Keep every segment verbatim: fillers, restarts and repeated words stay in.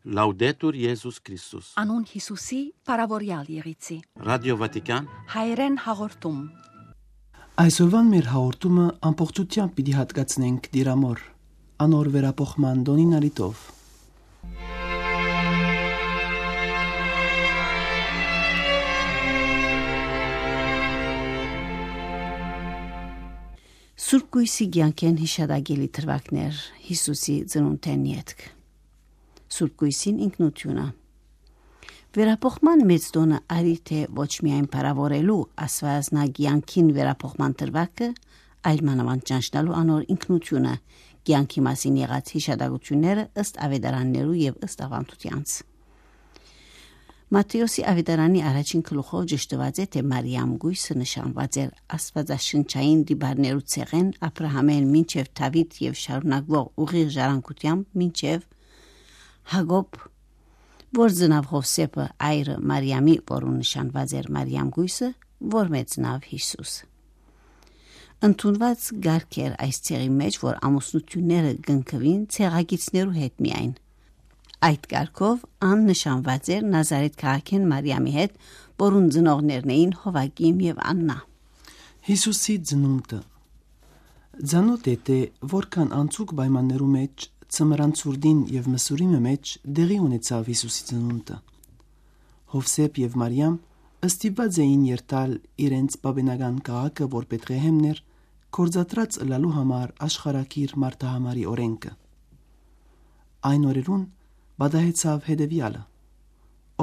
Լաուդետուր Եզուս Քրիստոս։ Անուն Յիսուսի, բարաւորեալ եղիցի։ Ռադիո Վատիկան։ Հայերեն հաղորդում։ Այսօրուան մեր հաղորդումը ամբողջութեամբ պիտի հատկացնենք Տիրամոր, անոր վերափոխման տօնին առիթով։ Սուրբ Կոյսի կեանքէն յիշատակելի դրուագներ Յիսուսի ծնունդէն ետք։ Սուրբ Կոյսին ինքնութիւնը։ Վերափոխման մեծ տօնը արի թէ ոչ միայն փառաւորելու Աստուածնա կեանքին վերափոխման դրուագը, այլ մանաւանդ ճանչնալու անոր ինքնութիւնը, կեանքի մասին եղած յիշատակութիւնները ըստ աւետարաններու եւ ըստ աւանդութեանց։ Մատթէոսի աւետարանի առաջին գլուխով ճշդուած է թէ Մարիամ կոյսը նշանուած էր աստուածաշնչային տիպարներու ցեղէն Աբրահամէն մինչեւ Դաւիթ եւ շարունակուող ուղիղ ժառանգութեամբ մինչեւ Յակոբ, որ ծնաւ Յովսէփը, այրը Մարիամի, որուն նշանուած էր Մարիամ կոյսը, որ մէ ծնաւ Յիսուս։ Ընդունուած կարգ էր այս ցեղի մէջ, որ ամուսնութիւնները կնքուին ցեղակիցներու հետ միայն։ Այդ կարգով ան նշանուած էր Նազարեթ քաղաքէն Մարիամի հետ, որուն ծնողներն էին Յովակիմ եւ Աննա։ Յիսուսի ծնունդը։ Ծանօթ է թէ որքան անցուկ պայմաններու մէջ, ծմրան ցուրտին եւ մսուրիմը մէջ տեղի ունեցաւ Յիսուսի ծնունդը։ Յովսէփ եւ Մարիամ ստիպուած էին երթալ իրենց պապենական քաղաքը, որ Բեթղեհեմն էր, գործադրած ըլլալու համար աշխարհակիր մարդահամարի օրէնքը։ Այն օրերուն պատահեցաւ հետեւեալը.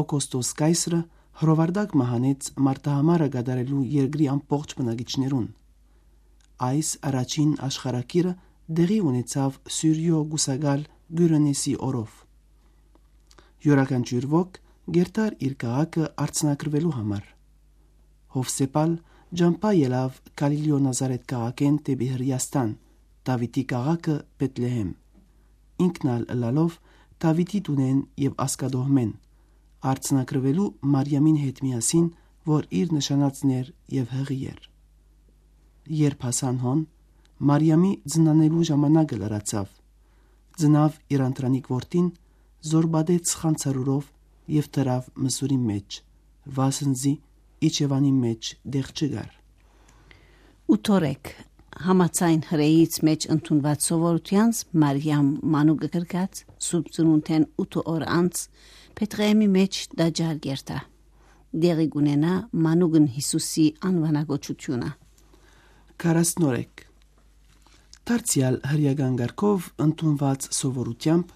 Օգոստոս կայսրը հրովարտակ մը հանեց մարդահամարը կատարելու երկրի ամբողջ բնակիչներուն։ Այս առաջին աշխարհակիրը տեղի ունեցաւ Սուրիոյ կուսակալ Կիւրենէսի օրով։ Իւրաքանչիւր ոք կերթար իր քաղաքը արձանագրուելու համար։ Յովսէփ ալ ճամբայ ելաւ Գալիլիոյ Նազարեթ քաղաքէն դէպի Հրեաստան, Դաւիթի քաղաքը Բեթլեհեմ։ Ինքն ալ ըլլալով Դաւիթի տունէն եւ ազգատոհմէն, արձանագրուելու Մարիամին հետ միասին, որ իր նշանածն էր եւ յղի էր։ Երբ հասան հոն, Մարիամի ծնանելու ժամանակը լրացաւ։ Ծնաւ իր անդրանիկ որդին, զօր պատեց խանձարուրով եւ դրաւ մսուրին մէջ, վասն զի իջեւանին մէջ տեղ չկար։ Ութ օրեկ, համաձայն հրեից մէջ ընդունուած սովորութեանց, Մարիամ մանուկը կրկած, Սուրբ Ծնունդէն ութ օր անց, Բեթղեհեմի մէջ տաճար կերթայ։ Տեղի կունենայ մանուկն Յիսուսի անուանակոչութիւնը։ Քառասնորեկ։ Դարձեալ հրեական կարգով ընդունուած սովորութեամբ,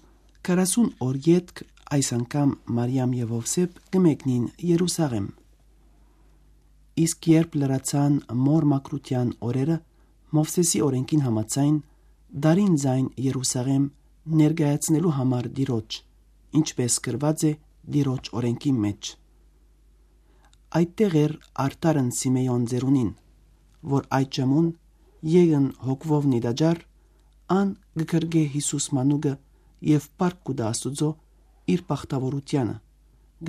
քառասուն օր ետք այս անգամ Մարիամ եւ Յովսէփ կը մեկնին Երուսաղէմ։ Իսկ երբ լրացան մօր մաքրութեան օրերը, Մովսէսի օրէնքին համաձայն, դարին զայն Երուսաղէմ ներկայացնելու համար Տիրոջ, ինչպէս գրուած է Տիրոջ օրէնքին մէջ։ Այդտեղ էր արդարն Սիմէոն ծերունին, որ այդ ժամուն եկն հոգուով նիտաճար, ան կը գրկէ Յիսուս մանուկը եւ փառք կու տայ Աստուծոյ իր բախտաւորութեանը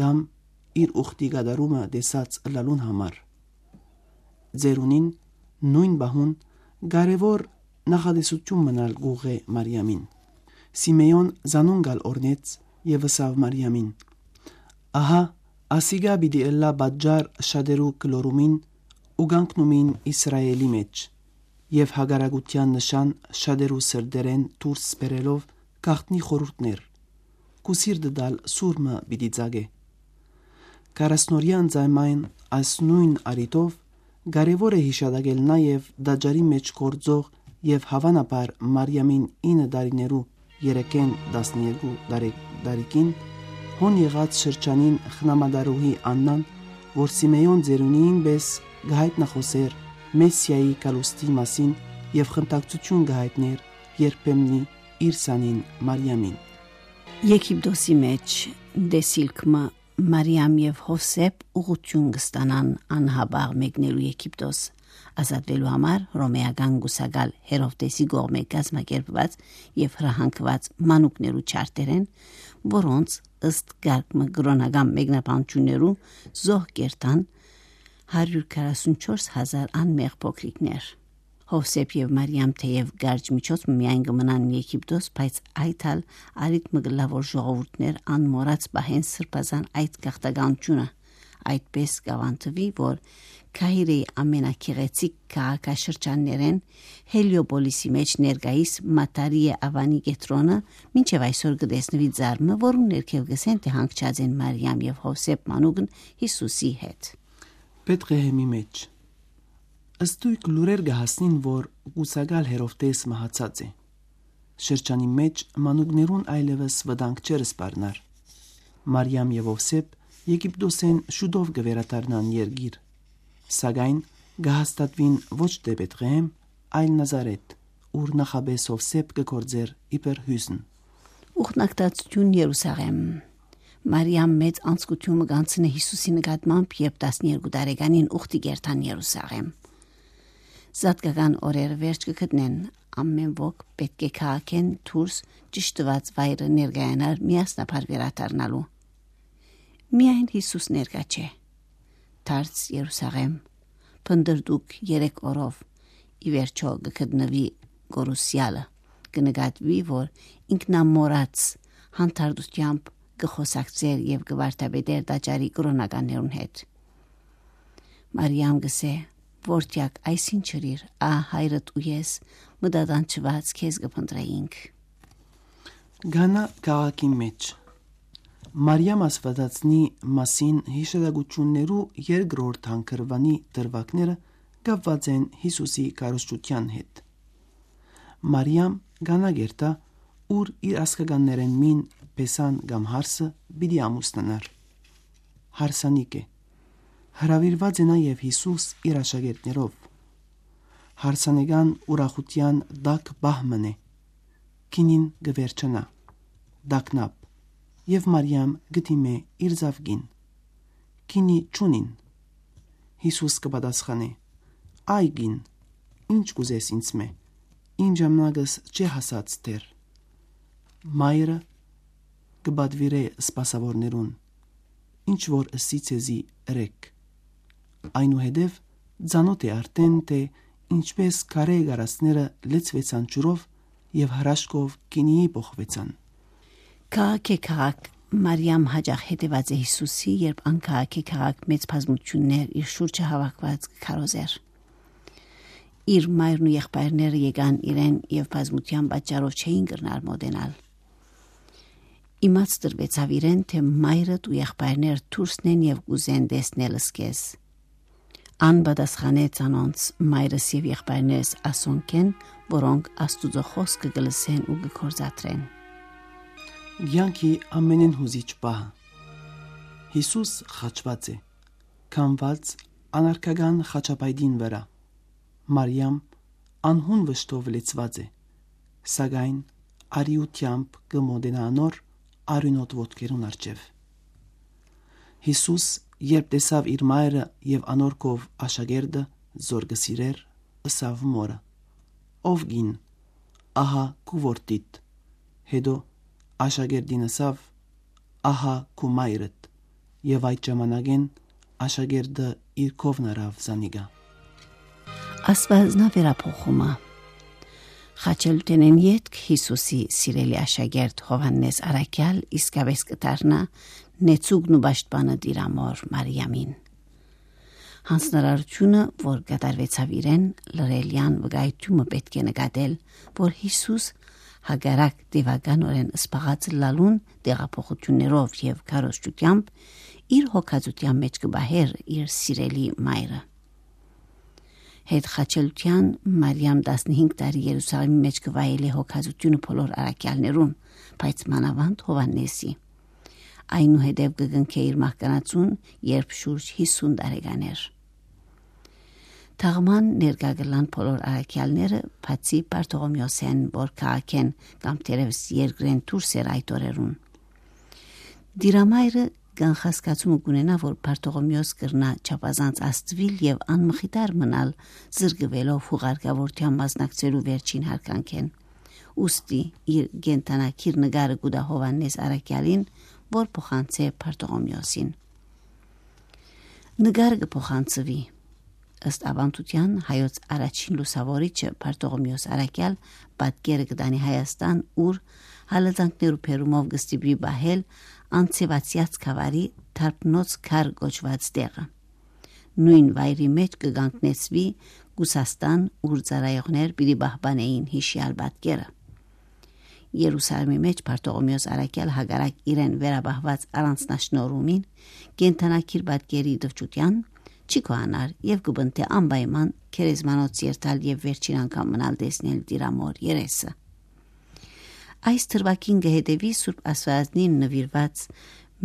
կամ իր ուխտի կատարումը տեսած ըլլալուն համար։ Ծերունին նոյն պահուն կարեւոր նախատեսութիւն մըն ալ կ'ուղղէ Մարիամին։ Սիմէոն զանոնք ալ օրհնեց եւ ըսաւ Մարիամին. «Ահա, ասիկա պիտի ըլլայ պատճառ շատերու կլորումին ու կանգնումին Իսրայէլի մէջ, եւ հակառակութեան նշան շատերու սրտերէն դուրս բերելով գաղտնի խորհուրդներ, քու սիրտդ ալ սուր մը պիտի ծագէ»։ Քառասնօրեան զայն այս նոյն առիթով կարեւոր է յիշատակել նաեւ տաճարի մէջ գործող եւ հաւանաբար Մարիամին ինը տարիներու երեքէն տասներկու տարի-, տարիքին հոն եղած շրջանին խնամատարուհի Աննան, որ Սիմէոն ծերունին պէս կը հայտնախօսէր Մեսիայի գալուստի մասին եւ խնդակցութիւն կը հայտնէր երբեմնի իր սանին Մարիամին։ Եգիպտոսի մէջ տեսիլք մը Մարիամ եւ Յովսէփ ուղղութիւն կը ստանան անհապաղ մեկնելու Եգիպտոս, ազատուելու համար հռոմէական կուսակալ Հերովտեսի կողմէ կազմակերպուած եւ հրահանգուած մանուկներու չարտերէն, որոնց ըստ կարգ մը կրօնական մեկնաբանութիւններու զոհ կերթան հարիւր քառասունչորս հազար անմեղ փոքրիկներ։ Յովսէփ եւ Մարիամ թէեւ կարճ միջոց մը միայն կը մնան Եգիպտոս, բայց այդ ալ առիթ մը կ'ըլլայ, որ ժողովուրդներ անմոռաց պահեն սրբազան այդ գաղթականութիւնը, այդպէս կ'աւանդուի, որ Քահիրեի ամենագեղեցիկ քաղաքաշրջաններէն Հելիոպոլիսի մէջ ներկայիս Մատարիե Ավանի կեդրոնը մինչեւ այսօր կը տեսնուի ձար մը, որուն ներքեւ կ'ըսեն թէ հանգչած են Մարիամ եւ Յովսէփ մանուկն Յիսուսի հետ։ Բեթղեհեմի մէջ։ Ստոյգ լուրեր կը հասնին, որ կուսակալ Հերովտէս մահացած է։ Շրջանի մէջ մանուկներուն այլեւս վտանգ չէր սպառնար։ Մարիամ եւ Ովսէփ Եգիպտոսէն շուտով կը վերադառնան երկիր, սակայն կը հաստատուին ոչ թէ Բեթղեհեմ, այլ Նազարեթ, ուր նախապէս Ովսէփ կը գործէր իբր հիւզն։ Ուխնակցութիւն Երուսաղէմ։ Մարիամ մեծ անձկութիւն մը կ'անցնէ Յիսուսի նկատմամբ, երբ տասներկու տարեկանին ուխտի կ'երթան Երուսաղէմ։ Զատկական օրերը վերջ կը գտնեն, ամէն ոք պէտք է քաղաքէն դուրս ճշդուած վայրը ներկայանար միասնաբար վերադառնալու։ Միայն Յիսուս ներկայ չէ։ Դարձ Երուսաղէմ, փնտռտուք երեք օրով, ի վերջոյ կը գտնուի կորուսեալը, կը նկատուի, որ ինքնամոռաց հանդարտութեամբ կը խօսակցէր եւ կը վարդապետէր տաճարի կրօնականներուն հետ։ Մարիամ կ'ըսէ. «Որդեակ, այս ի՞նչ ըրիր, ահա հայրդ ու ես, մտատանջուած քեզ կը փնտռէինք»։ Գանա քաղաքի մէջ։ Մարիամ Աստուածածնի մասին յիշատակութիւններու երկրորդ հանգրուանի դրուագները կապուած են Յիսուսի քարոզչութեան հետ։ Մարիամ Գանա կ'երթայ, ուր իր ազգականներէն մին Պեսան կամ Հարսը պիտի ամուսնանար։ Հարսանիք է։ Հրաւիրուած է նաեւ Յիսուս իր աշակերտներով։ Հարսանեկան ուրախութեան տաք պահ մըն է։ Գինին կը վերջանայ, տագնապ, եւ Մարիամ կը դիմէ իր զաւկին. «Գինի չունին»։ Յիսուս կը պատասխանէ. «Այ կին, ի՞նչ կ'ուզես ինձմէ, իմ ժամանակս չէ հասած դեռ»։ Մայրը կը պատուիրէ սպասաւորներուն. «Ինչ որ ըսի ձեզի, ըրէք»։ Այնուհետեւ ծանօթ է արդէն, թէ ինչպէս քարէ կարասները լեցուեցան ջուրով եւ հրաշքով գինիի փոխուեցան։ Քաղաք է քաղաք, Մարիամ յաճախ հետեւած է Յիսուսի, երբ ան քաղաք է քաղաք մեծ բազմութիւններ իր շուրջը հաւաքուած կը քարոզէր։ Իր մայրն ու եղբայրները եկան իրեն եւ բազմութեան պատճառով չէին կրնար մօտենալ։ Իմաց տրուեցաւ իրեն, թէ մայրդ ու եղբայրներ դուրսն են եւ կ'ուզեն տեսնել զքեզ։ Ան պատասխանեց անոնց. «Մայրս եւ եղբայրներս ասոնք են, որոնք Աստուծոյ խօսքը կը լսեն ու կը գործադրեն»։ Կեանքի ամենէն յուզիչ պահը։ Յիսուս խաչուած է, քամուած անարգական խաչապայտին վրայ։ Մարիամ անհուն վշտով լեցուած է, սակայն արիութեամբ կը մոտենայ անոր արիւնոտ ոտքերուն առջեւ։ Յիսուս, երբ տեսաւ իր մայրը եւ անոր քով աշակերտը, զոր կը սիրէր, ըսաւ մօրը. «Ով կին, ահա քու որդիդ»։ Հետո աշակերտին ըսաւ. «Ահա քու մայրդ»։ Եւ այդ ժամանակէն աշակերտը իր քովն առաւ զանիկա։ Աստուածնաւ վերափոխումը։ Խաչելութենէն ետք Յիսուսի սիրելի աշակերտ Յովհաննէս Առաքեալ իսկապէս կը դառնայ նեցուկն ու պաշտպանը Տիրամօր Մարիամին։ Յանձնարարութիւնը, որ կատարուեցաւ իրեն, լռելեան վկայութիւնը պէտք է նկատել, որ Յիսուս, հակառակ տեւականօրէն սպաղած ըլլալուն, տեղափոխութիւններով եւ քարոզչութեամբ իր հոգածութեան մէջ կը պահէր իր սիրելի մայրը։ Հետ խաչելութեան Մարիամ տասնհինգ տարի Երուսաղէմի մէջ կը վայելէ հոգածութիւնը բոլոր առաքեալներուն, բայց մանաւանդ Յովհաննէսի։ Այնուհետեւ կը կնքէ իր մահկանացուն, երբ շուրջ յիսուն տարեկան էր։ Թաղման ներկայ կ'ըլլան բոլոր առաքեալները, բացի Բարթողոմեոսէն, որ քաղաքէն կամ թերեւս երկրէն դուրս էր այդ օրերուն։ Տիրամայրը կանխազգացումը կ'ունենայ, որ Բարթողոմեոս կրնայ չափազանց ազդուիլ եւ անմխիթար մնալ, զրկուելով յուղարկաւորութեան մասնակցելու վերջին յարգանքէն։ Ուստի իր կենդանակիր նկարը կու տայ Յովհաննէս Առաքեալին, որ փոխանցէ Բարթողոմեոսին։ Նկարը կը փոխանցուի։ Ըստ աւանդութեան, հայոց առաջին լուսաւորիչը Բարթողոմէոս Առաքեալ պատկերը կը տանի Հայաստան, ուր հալածանքներու բերումով կը ստիպուի պահել անցեւացեաց գաւառի Թարբնոց քար կոչուած տեղը։ Նոյն վայրի մէջ կը կանգնեցուի Կուսաստան, ուր ծառայողներ պիտի պահպանէին յիշեալ պատկերը։ Երուսաղէմի մէջ Բարթողոմէոս Առաքեալ, հակառակ իրեն վերապահուած առանձնաշնորհումին, կենդանագիր պատկերի տխրութեան, չի գոհանար եւ կը պնդէ անպայման գերեզմանոց երթալ եւ վերջին անգամ մնալ տեսնել Տիրամօր երեսը։ Այս դրուագին կը հետեւի Սուրբ Աստուածնին նուիրուած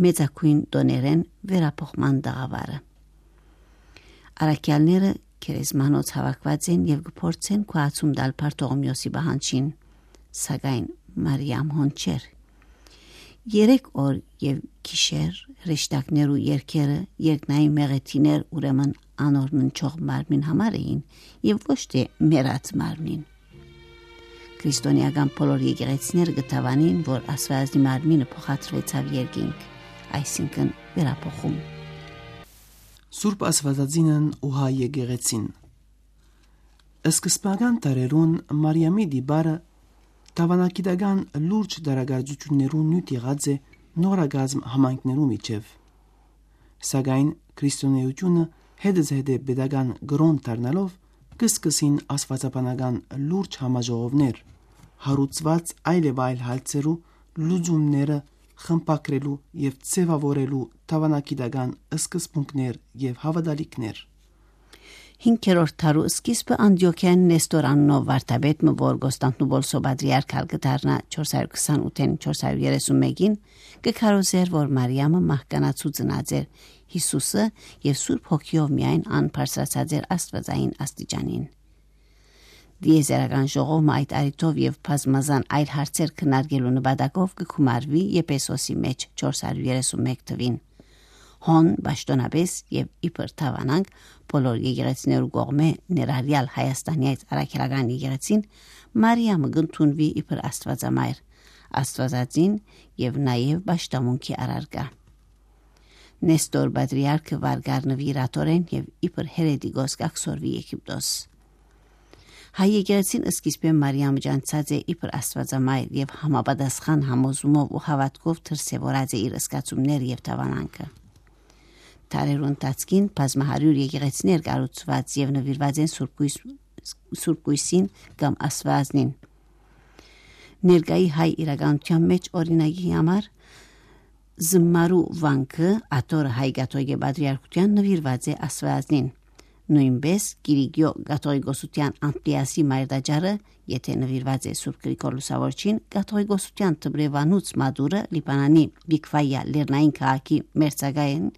մեծագոյն տօներէն վերափոխման տաղաւարը։ Առաքեալները գերեզմանոց հաւաքուած են եւ կը փորձեն գոհացում տալ Բարթողոմէոսի պահանջին, սակայն Մարիամ հոն չէր։ Երեք օր եւ գիշեր հրեշտակներու երգերը, երկնային մեղեդիներ, ուրեմն անոր ննչող մարմնին համար էին եւ ոչ թէ մեռած մարմնին։ Քրիստոնէական բոլոր եկեղեցիները կը դաւանին, որ Աստուածնի մարմինը փոխադրուեցաւ երկինք, այսինքն՝ վերափոխում։ Սուրբ Աստուածածինն ու հայ եկեղեցին։ Սկզբնական դարերուն Մարիամի տիպարը դաւանագիտական լուրջ դարակարծութիւններու նիւթ եղած է նորակազմ համայնքներու միջեւ։ Սակայն քրիստոնէութիւնը հետզհետե պետական կրօն դառնալով, կը սկսին աստուածաբանական լուրջ համաժողովներ, հարուցուած այլ եւ այլ հարցերու լուծումները խմբագրելու եւ ձեւաւորելու դաւանագիտական սկզբունքներ եւ հաւատալիքներ։ Հինգերորդ դարու սկիզբը Անտիոքիայէն Նեստոր անունով վարդապետ մը, որ Կոստանդնուպոլսոյ պատրիարքալ կը դառնայ չորս հարյուր քսանութ-ին չորս հարյուր երեսուն մէկին, կը քարոզէր, որ Մարիամը մահկանացու ծնած էր Յիսուսը եւ Սուրբ Հոգիով միայն ան բարձրացած էր աստուածային աստիճանին։ Տիեզերական ժողովը այդ առիթով եւ բազմազան այլ հարցեր քննարկելու նպատակով կը գումարուի Եփեսոսի մէջ չորս հարյուր երեսուն մէկ թուին։ Հոն պաշտօնապէս եւ իբր դաւանանք բոլոր եկեղեցիներու կողմէ ներառեալ Հայաստանեայց Առաքելական եկեղեցին, Մարիամը կ'ընդունուի իբր Աստուածամայր, Աստուածածին եւ նաեւ պաշտամունքի առարկայ։ Նեստոր պատրիարքը վարկար նուիրատորեն եւ իբր հերետիկոս կ'աքսորուի Եգիպտոս։ Հայ եկեղեցին սկիզբէն Մարիամը ճանչցած է իբր Աստուածամայր եւ համապատասխան համոզումով ու հաւատքով դրսեւորած է իր զգացումներ եւ դաւանանքը։ Դարերու ընթացքին բազմահարիւր եկեղեցիներ կառուցուած եւ նուիրուած են Սուրբ Կոյս-, Սուրբ Կոյսին կամ Աստուածնին։ Ներկայի հայ իրականութեան մէջ, օրինակի համար, Զմարու վանքը, աթոռը հայ կաթողիկէ պատրիարքութեան նուիրուած է Աստուածնին։ Նոյնպէս Կիրիկիոյ կաթողիկոսութեան Անտիասի մայրտաճարը, եթէ նուիրուած է Սուրբ Գրիգոր Լուսաւորչին, կաթողիկոսութեան Դբրեվանուց մատուռը, Լիբանանի Բիքվայա լեռնային քաղաքի մերձակայէն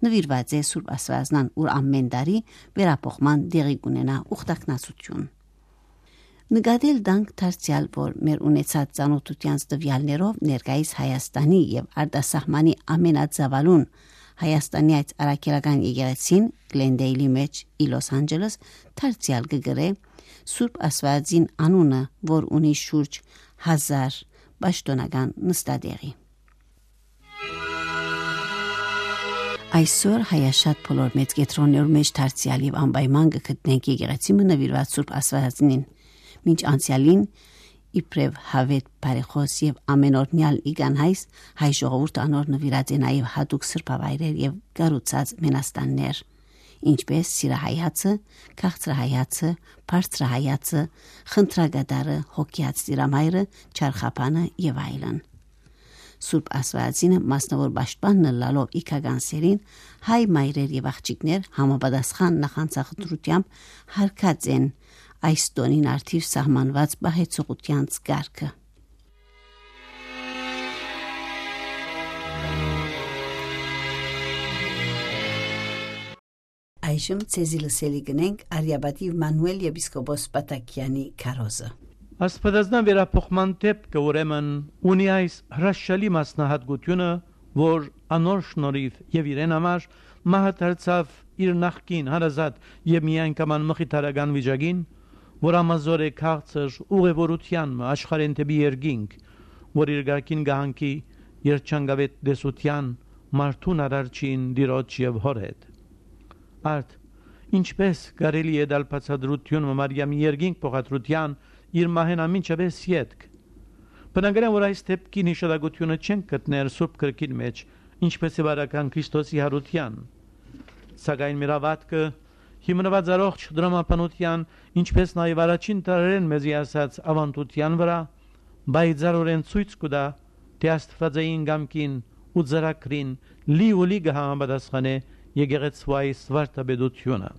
նուիրուած է Սուրբ Աստուածնան, ուր ամէն տարի վերափոխման տեղի կունենայ ուխտակնացութիւն։ Նկատել տանք դարձեալ, որ մեր ունեցած ծանօթութեանց տուեալներով ներկայիս Հայաստանի եւ արտասահմանի ամենածաւալուն Հայաստանի այդ առաքելական եկեղեցին Գլենդեյլի մէջ ի Լոս Անջելես դարձեալ կը գրէ Սուրբ Աստուածին անունը, որ ունի շուրջ հազար պաշտօնական նստատեղի։ Այսօր հայաշատ բոլոր մեծ կեդրոններու մէջ դարձեալ եւ անպայման կը գտնենք եկեղեցի մը նուիրուած Սուրբ Աստուածին։ Մինչ անցեալին, իբրեւ յաւէտ բարեխօս եւ ամենօրնեալ իգան հայս, հայ ժողովուրդը անոր նուիրած է նաեւ յատուկ սրբավայրեր եւ կառուցած մենաստաններ, ինչպէս Սիրահայ հացը, Քաղցրահայ հացը, Բարձրահայ հացը, Խնդրակատարը, Հոգեաց Տիրամայրը, Չարխաբանը եւ այլն։ Սուրբ Աստուածինը մասնաւոր պաշտպանն ըլլալով իգական սերին, հայ մայրեր եւ աղջիկներ համապատասխան նախանձախնդրութեամբ յարգած են այս տօնին առթիւ սահմանուած պահեցողութեանց կարգը։ Այժմ ձեզի լսելի կ'ընենք Արիապատիւ Մանուել եպիսկոպոս Պատակեանի քարոզը։ Աստուածնան վերափոխման դէպքը, ուրեմն, ունի այս հրաշալի մասնահատկությունը, որ անոր շնորհիվ եւ իրեն համար մահը դարձաւ իր նախկին հարազատ եւ միայնկաման մխիթարական վիճակին, որ ամազոր է քաղցր ուղևորութեան մը աշխարհէն դէպի երկինք, որ իր կարգին կը հանգի երջանկաւետ տեսութեան մարդուն արարչին, Տիրոջ եւ Հօր հետ։ Արդ, Ինչպէս կարելի է տալ բացատրութիւն մը Մարիամի երկինք փոխադրութեան իր մահէն ամինչապէս ետք։ Բնակարան որ այս դեպքին հիշատակութիւնը չենք գտներ Սուրբ Գրքին մէջ, ինչպէս է վարական Քրիստոսի յարութեան։ Սակայն մեր աւատքը հիմնուած առողջ դրամաբանութեան, ինչպէս նաեւ առաջին դարերէն մեզի ասած աւանդութեան վրայ, պայծառօրէն ցոյց կու տայ, թէ Աստուածային կամքին ու ծրագրին լի ու լի կը համապատասխանէ եկեղեցու այս վարդապետութիւնը։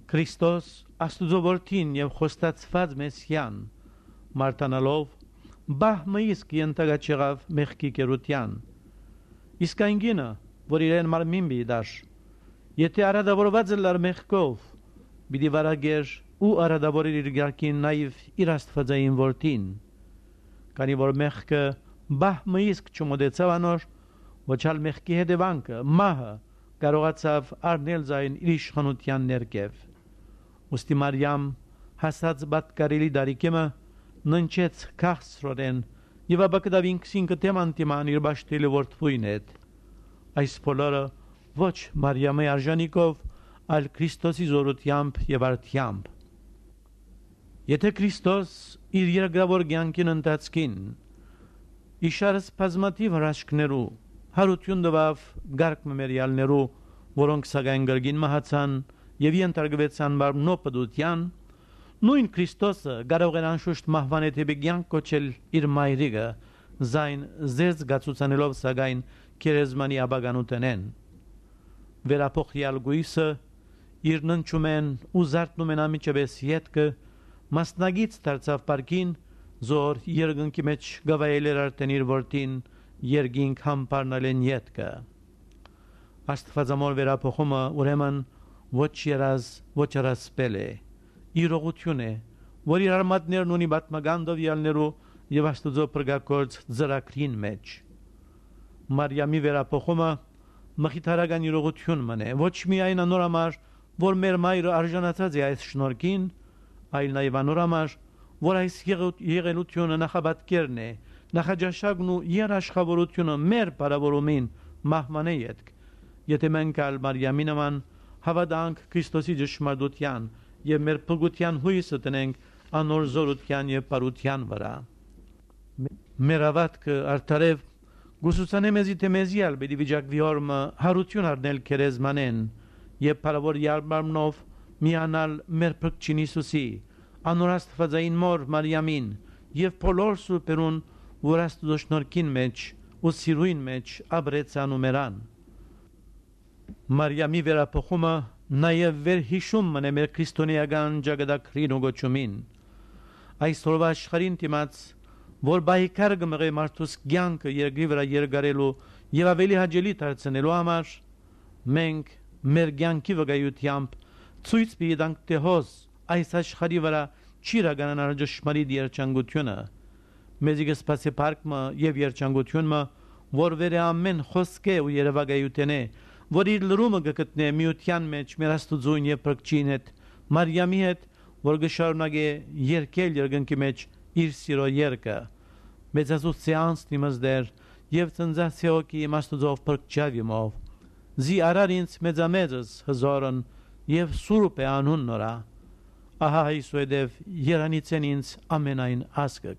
Քրիստոս, Աստուծոյ որդին եւ խոստացուած Մեսիան, մարտանալով, պահ մը իսկ ենթակայ չեղաւ մեղքի կերութեան։ Իսկ այն կինը, որ իրեն մարմին պիտի տար, եթէ արատաւորուած ըլլար մեղքով, պիտի վարակէր ու արատաւորէր իր կարգին նաեւ իր Աստուածային որդին։ Քանի որ մեղքը պահ մը իսկ չմոտեցաւ անոր, ոչ ալ մեղքի հետեւանքը, մահը, կարողացաւ առնել զայն իր իշխանութեան ներքեւ։ Ուստի Մարիամ, հասած պատկառելի տարիքի մը, ննջեց քաղցրօրէն եւ ապա գտաւ ինքզինքը դէմ անդիման իր պաշտելի որդւոյն հետ։ Այս բոլորը ոչ Մարիամի արժանիքով, այլ Քրիստոսի զօրութեամբ եւ արդեամբ։ Եթէ Քրիստոս իր երկրաւոր կեանքին ընթացքին իշարս բազմաթիւ հրաշքներու, յարութիւն տուաւ կարգ մը մերեալներու, որոնք սակայն կրկին մահացան եւ ենթարկուեցան մարմնոյ պտուութեան, նոյն Քրիստոսը կարող էր անշուշտ մահուան դէպի կեանք կոչել իր մայրիկը, զայն զերծ գացուցանելով սակայն գերեզմանի ապականութենէն։ Վերափոխեալ կոյսը, իր ննջումէն ու զարթնումէն անմիջապէս ետքը, մասնակից դարձաւ պարկին, զոր երկնքի մէջ կը վայելէր արդէն իր որդին երկինք համբարնալէն ետքը։ Աստուածամոր վերափոխումը, ուրեմն, ոչ երազ, ոչ առասպել է, իրողութիւն է, որ իր արմատներն ունի պատմական տուեալներու եւ Աստուծոյ փրկագործ ծրագրին մէջ։ Մարիամի վերափոխումը մխիթարական իրողութիւն մըն է, ոչ միայն անոր համար, որ մեր մայրը արժանացած է այս շնորհքին, այլ նաեւ անոր համար, որ այս եղ-, եղելութիւնը նախապատկերն է, նախաճաշակն ու երաշխավորութիւնը մեր փառաւորումին մահուանէ ետք, եթէ մենք ալ Մարիամի նման հաւատանք Քրիստոսի ճշմարտութեան եւ մեր փրկութեան յոյսը դնենք անոր զօրութեան եւ բարութեան վրայ։ Մե-, մեր աւատքը արդարեւ կուսուցանէ մեզի, թէ մեզի ալ պիտի վիճակուի օր մը յարութիւն առնել գերեզմանէն եւ փառաւոր յալ մարմնով միանալ մեր Փրկչին Յիսուսի, անոր Աստուածային մօր Մարիամին եւ բոլոր սուրբերուն, որ Աստուծոյ շնորհքին մէջ ու սիրոյն մէջ ապրեցան ու մեռան։ Մարիամի վերափոխումը նաեւ վերհիշում մըն է մեր քրիստոնէական ճակատագրին ու կոչումին։ Այսօրվա աշխարհին դիմաց, որ պայքար կը մղէ մարդուս կեանքը երկրի վրայ երկարելու եւ աւելի հաճելի դարձնելու համար, մենք մեր կեանքի վկայութեամբ ցոյց պիտի տանք, թէ հոս այս աշխարհի վրայ չի իրականանար ճշմարիտ երջանկութիւնը։ Մեզի կը սպասէ փառք մը եւ երջանկութիւն մը, որ վեր է ամէն խօսքէ ու երեւակայութենէ, որ իր լրումը կը գտնէ միութեան մէջ մեր Աստուծոյն եւ Փրկչին հետ, Մարիամի հետ, որ կը շարունակէ երգել երկնքի մէջ իր սիրո երգը։ Մեծազուսցէ անձն իմս Տէր եւ ծնծացէ հոգի իմ Աստուծոյ Փրկչաւ իմով։ Զի արար ինձ մեծամեծս հզորն եւ սուրբ է անուն նորա։ Ահա այսուհետեւ երանիցեն ինձ ամենայն ազգը։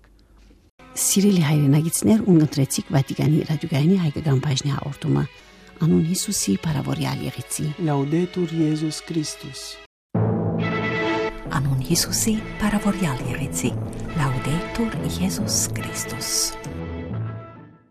Սիրելի հայրենակիցներ, ունկնդրեցիք Վատիկանի ռադիոկայանի հայկական բաժնի հաղորդումը, անուն Յիսուսի փառաւորեալ եղեցի։ Լաուդետուր Եզուս Քրիստոս։ Անուն Յիսուսի փառաւորեալ եղեցի։ Լաուդետուր Եզուս Քրիստոս։